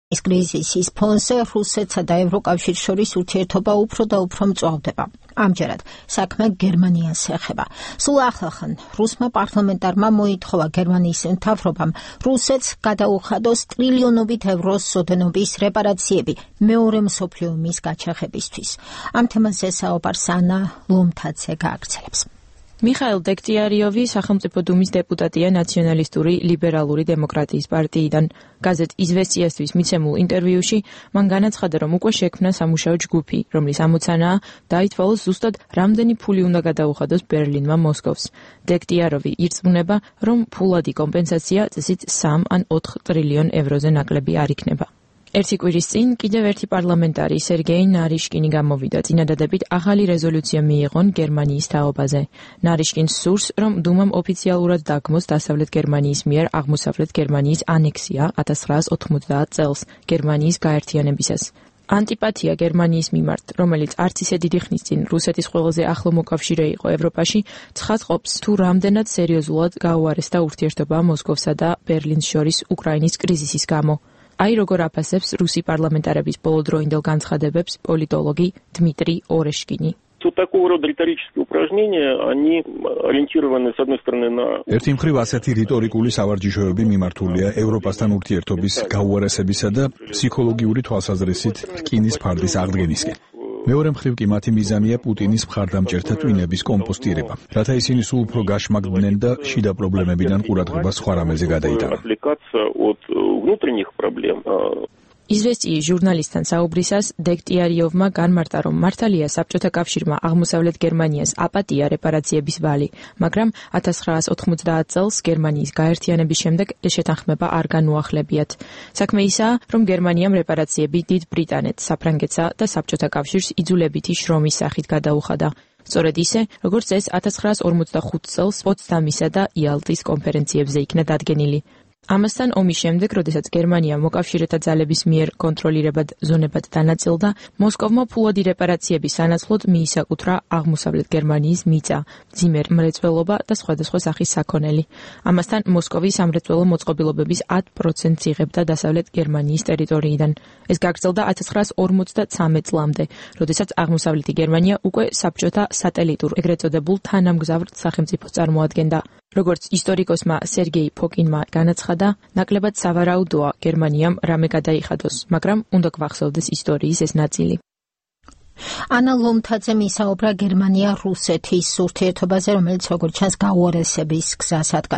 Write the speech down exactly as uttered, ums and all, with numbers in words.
ეს კრიზისის ფონზე რუსეთსა და ევროკავშირს შორის ურთიერთობა უფრო და უფრო მწვავდება. ამჯერად საქმე გერმანიას ეხება. სულ ახლახან რუსმა პარლამენტარმა მოითხოვა გერმანიის მთავრობამ რუსეთს გადაუხადოს ტრილიონობით ევროს ოდენობის რეპარაციები მეორე მსოფლიო ომის გაჩაღებისთვის. ამ თემაზე საუბარს ანა ლომთაძე გააგრძელებს. მიხაილ დექტიარიოვი სახელმწიფო დუმის დეპუტატია ნაციონალისტური ლიბერალური დემოკრატიის პარტიიდან. გაზეთ იზვესტიასთვის მიცემულ ინტერვიუში მან განაცხადა, რომ უკვე შექმნა სამუშაო ჯგუფი, რომლის ამოცანაა დაითვალოს ზუსტად რამდენი ფული უნდა გადაუხადოს ბერლინმა მოსკოვს. დექტიაროვი ირწმუნება, რომ ფულადი კომპენსაცია წესით სამ ან ოთხ ტრილიონ ევროზე ნაკლები არ იქნება. ერთი კვირის წინ კიდევ ერთი პარლამენტარი სერგეი ნარიშკინი გამოვიდა წინადადებით ახალი რეზოლუცია მიიღონ გერმანიის თაობაზე. ნარიშკინს სურს, რომ დუმამ ოფიციალურად დაგმოს დასავლეთ გერმანიის მიერ აღმოსავლეთ გერმანიის ანექსია ათას ცხრაას ოთხმოცდაათ წელს გერმანიის გაერთიანებისას. ანტიპათია გერმანიის მიმართ, რომელიც არც ისე დიდი ხნის წინ რუსეთის ყველაზე ახლო მოკავშირე იყო ევროპაში, ცხადყოფს თუ რამდენად სერიოზულად გაუარესდა ურთიერთობა მოსკოვსა და ბერლინს შორის უკრაინის კრიზისის გამო. აი როგორ აფასებს რუსი პარლამენტარების ბოლოდროინდელ განცხადებებს პოლიტოლოგი დმიტრი ორეშკინი. Вот такого рода риторические упражнения, они ориентированы, с одной стороны, на... ერთი მხრივ ასეთი რიტორიკული სავარჯიშოები მიმართულია ევროპასთან ურთიერთობის გაუარესებისა და ფსიქოლოგიური თვალსაზრისით რკინის ფარდის აღდგენისკენ. მეორე მხრივ კი მათი მიზანია პუტინის მხარდამჭერთა ტვინების კომპოსტირება, რათა ისინი სულ უფრო გაშმაგდნენ და შიდა პრობლემებიდან ყურადღება სხვა რამეზე გადაიტანონ. იზვესტიის ჟურნალისტთან საუბრისას დექტიარიოვმა განმარტა, რომ მართალია საბჭოთა კავშირმა აღმოსავლეთ გერმანიას აპატია რეპარაციების ვალი, მაგრამ ათას ცხრაას ოთხმოცდაათ წელს გერმანიის გაერთიანების შემდეგ ეს შეთანხმება არ განუახლებიათ. საქმე ისაა, რომ გერმანიამ რეპარაციები დიდ ბრიტანეთს, საფრანგეთსა და საბჭოთა კავშირს იძულებითი შრომის სახით გადაუხადა. სწორედ ისე, როგორც ეს ათას ცხრაას ორმოცდახუთ წელს პოცდამისა და იალტის კონფერენციებზე იქნა დადგენილი. ამასთან ომის შემდეგ, როდესაც გერმანია მოკავშირეთა ძალების მიერ კონტროლირებად ზონებად დანაწილდა, მოსკოვმა ფულადი რეპარაციების სანაცვლოდ მიისაკუთრა აღმოსავლეთ გერმანიის მიწა, მძიმე მრეწველობა და სხვადასხვა სახის საქონელი. ამასთან მოსკოვი სამრეწველო მოწყობილობების ათ პროცენტს იღებდა დასავლეთ გერმანიის ტერიტორიიდან. ეს გაგრძელდა ათას ცხრაას ორმოცდაცამეტ წლამდე, როდესაც აღმოსავლეთი გერმანია უკვე საბჭოთა სატელიტურ, ეგრეთ წოდებულ თანამგზავრ სახელმწიფოს წარმოადგენდა. როგორც ისტორიკოსმა სერგეი ფოკინმა განაცხადა, ნაკლებად სავარაუდოა გერმანიამ რამე გადაიხადოს, მაგრამ უნდა გვახსოვდეს ისტორიის ეს ნაწილი. ანა ლომთაძემ ისაუბრა გერმანია-რუსეთის ურთიერთობაზე, რომელიც როგორც ჩანს გაუარესების გზას ადგას.